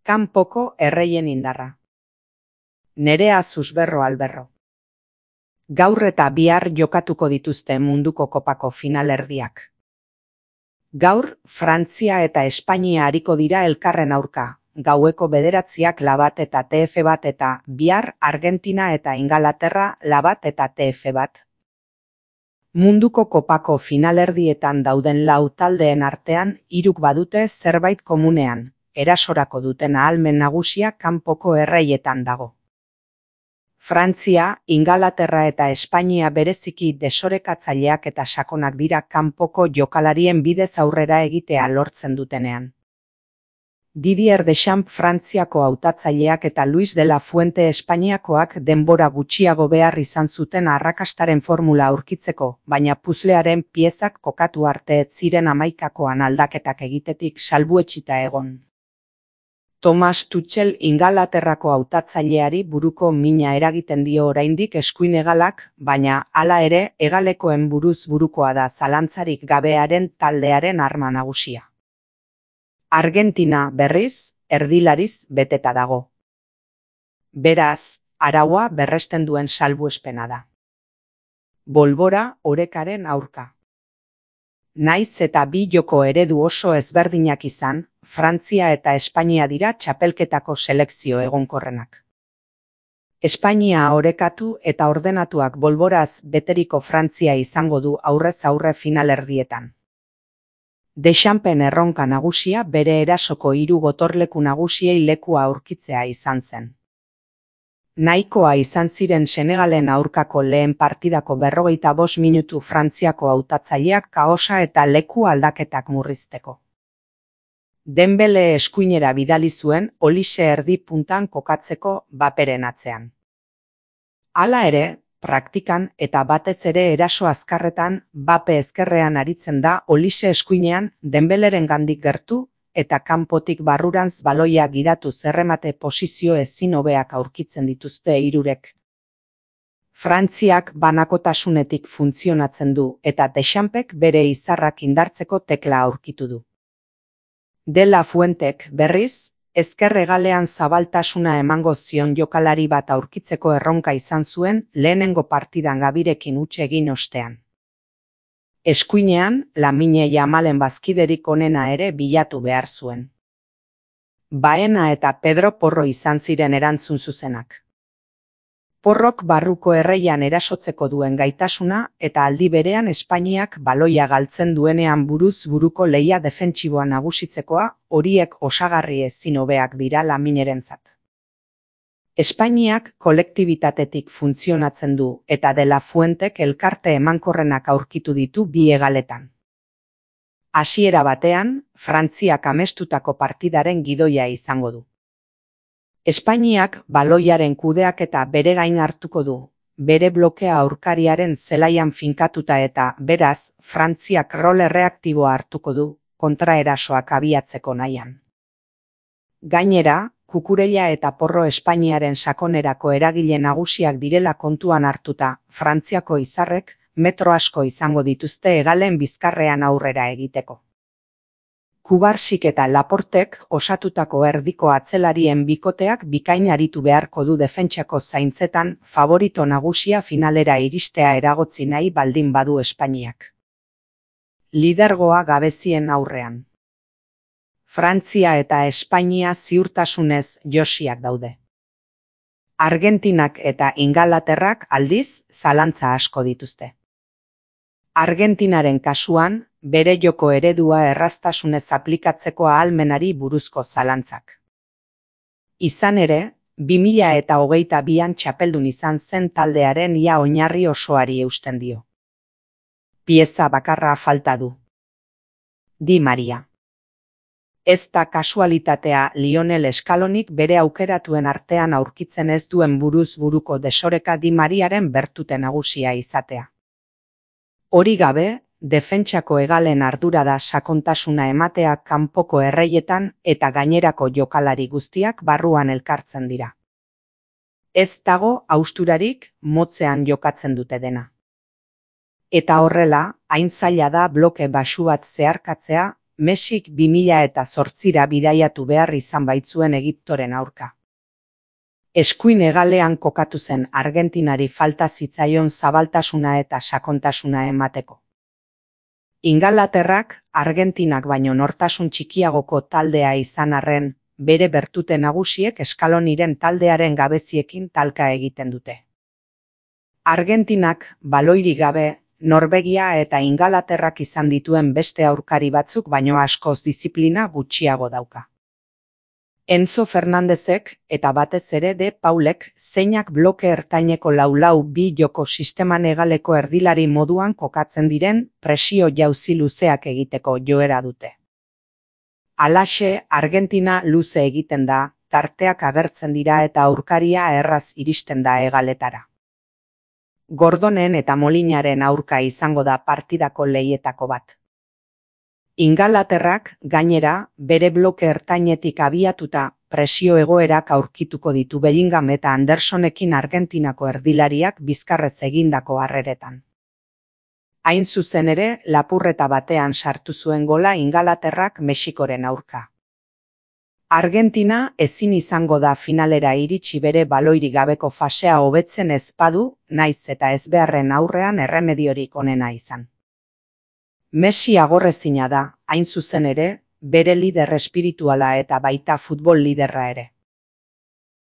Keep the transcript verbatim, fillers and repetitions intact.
Kanpoko erreien indarra. Nerea Susberro Alberro. Gaur eta bihar jokatuko dituzte munduko kopako finalerdiak. Gaur, Frantzia eta Espainia ariko dira elkarren aurka, gaueko bederatziak labat eta T F bat eta bihar Argentina eta Ingalaterra labat eta T F bat. Munduko kopako finalerdietan dauden lau taldeen artean hiruk badute zerbait komunean, erasorako duten ahalmen nagusia kanpoko erreietan dago. Frantzia, Ingalaterra eta Espainia bereziki desorekatzaileak eta sakonak dira kanpoko jokalarien bidez aurrera egitea lortzen dutenean. Didier Deschamps Frantziako hautatzaileak eta Luis de la Fuente Espainiakoak denbora gutxiago behar izan zuten arrakastaren formula aurkitzeko, baina puzlearen piezak kokatu arte ez ziren hamaikakoan aldaketak egitetik salbuetsita egon. Thomas Tuchel Ingalaterrako hautatzaileari buruko mina eragiten dio oraindik eskuin hegalak, baina hala ere hegalekoen buruz burukoa da zalantzarik gabearen taldearen arma nagusia. Argentina, berriz, erdilariz beteta dago. Beraz, araua berresten duen salbuespena da. Bolbora orekaren aurka. Naiz eta bi joko eredu oso ezberdinak izan, Frantzia eta Espainia dira txapelketako selekzio egonkorrenak. Espainia orekatu eta ordenatuak bolboraz beteriko Frantzia izango du aurrez aurre finalerdietan. Deschampen erronka nagusia bere erasoko hiru gotorleku nagusiei lekua aurkitzea izan zen. Nahikoa izan ziren Senegalen aurkako lehen partidako berrogeita bost minutu Frantziako hautatzaileak kaosa eta leku aldaketak murrizteko. Dembele eskuinera bidali zuen Olise erdi puntan kokatzeko Baperen atzean. Hala ere, praktikan eta batez ere eraso azkarretan Bape ezkerrean aritzen da Olise eskuinean Dembeleren gandik gertu eta kanpotik barrurantz baloia gidatu zerremate posizio ezin hobeak aurkitzen dituzte hirurek. Frantziak banakotasunetik funtzionatzen du eta Dechampsek bere izarrak indartzeko tekla aurkitu du. De la Fuentek, berriz, ezker hegalean zabaltasuna emango zion jokalari bat aurkitzeko erronka izan zuen lehenengo partidan Gabirekin huts egin ostean. Eskuinean, Lamine Yamalen bazkiderik onena ere bilatu behar zuen. Baena eta Pedro Porro izan ziren erantzun zuzenak. Porrok barruko erreian erasotzeko duen gaitasuna eta aldi berean Espainiak baloia galtzen duenean buruz buruko lehia defentsiboa nagusitzekoa, horiek osagarri ezin hobeak dira Laminerentzat. Espainiak kolektibitatetik funtzionatzen du eta De la Fuentek elkarte emankorrenak aurkitu ditu bi hegaletan. Hasiera batean, Frantziak amestutako partidaren gidoia izango du. Espainiak baloiaren kudeaketa bere gain hartuko du, bere blokea aurkariaren zelaian finkatuta eta, beraz, Frantziak rol erreaktiboa hartuko du, kontraerasoak abiatzeko nahian. Gainera, Kukurella eta Porro Espainiaren sakonerako eragile nagusiak direla kontuan hartuta, Frantziako izarrek metro asko izango dituzte hegalen bizkarrean aurrera egiteko. Kubarsik eta Laportek osatutako erdiko atzelarien bikoteak bikain aritu beharko du defentsako zaintzetan favorito nagusia finalera iristea eragotzi nahi baldin badu Espainiak. Lidergoa gabezien aurrean. Frantzia eta Espainia ziurtasunez josiak daude. Argentinak eta Ingalaterrak aldiz zalantza asko dituzte. Argentinaren kasuan, bere joko eredua erraztasunez aplikatzeko ahalmenari buruzko zalantzak. Izan ere, bi mila eta hogeita bian txapeldun izan zen taldearen ia oinarri osoari eusten dio. Pieza bakarra falta du. Di Maria. Ez da kasualitatea Lionel Scalonik bere aukeratuen artean aurkitzen ez duen buruz buruko desoreka Di Mariaren bertute nagusia izatea. Hori gabe, defentsako hegalen ardura da sakontasuna ematea kanpoko erreietan eta gainerako jokalari guztiak barruan elkartzen dira. Ez dago hausturarik motzean jokatzen dute dena. Eta horrela, hain zaila da bloke baxu bat zeharkatzea Mesik bi mila eta zortzira bidaiatu behar izan baitzuen Egiptoren aurka. Eskuin hegalean kokatu zen Argentinari falta zitzaion zabaltasuna eta sakontasuna emateko. Ingalaterrak Argentinak baino nortasun txikiagoko taldea izan arren, bere bertute nagusiek Eskaloniren taldearen gabeziekin talka egiten dute. Argentinak baloirik gabe, Norvegia eta Ingalaterrak izan dituen beste aurkari batzuk baino askoz diziplina gutxiago dauka. Enzo Fernandezek eta batez ere De Paulek zeinak bloke ertaineko lau-lau bi joko sisteman hegaleko erdilari moduan kokatzen diren presio jauzi luzeak egiteko joera dute. Halaxe, Argentina luze egiten da, tarteak agertzen dira eta aurkaria erraz iristen da hegaletara. Gordonen eta Molinaren aurka izango da partidako lehietako bat. Ingalaterrak, gainera, bere bloke ertainetik abiatuta presio egoerak aurkituko ditu Bellingham eta Andersonekin Argentinako erdilariak bizkarrez egindako harreretan. Hain zuzen ere, lapurreta batean sartu zuen gola Ingalaterrak Mexikoren aurka. Argentina ezin izango da finalera iritsi bere baloirik gabeko fasea hobetzen ez badu, naiz eta ezbeharren aurrean erremediorik onena izan. Messi agorrezina da, hain zuzen ere, bere lider espirituala eta baita futbol liderra ere.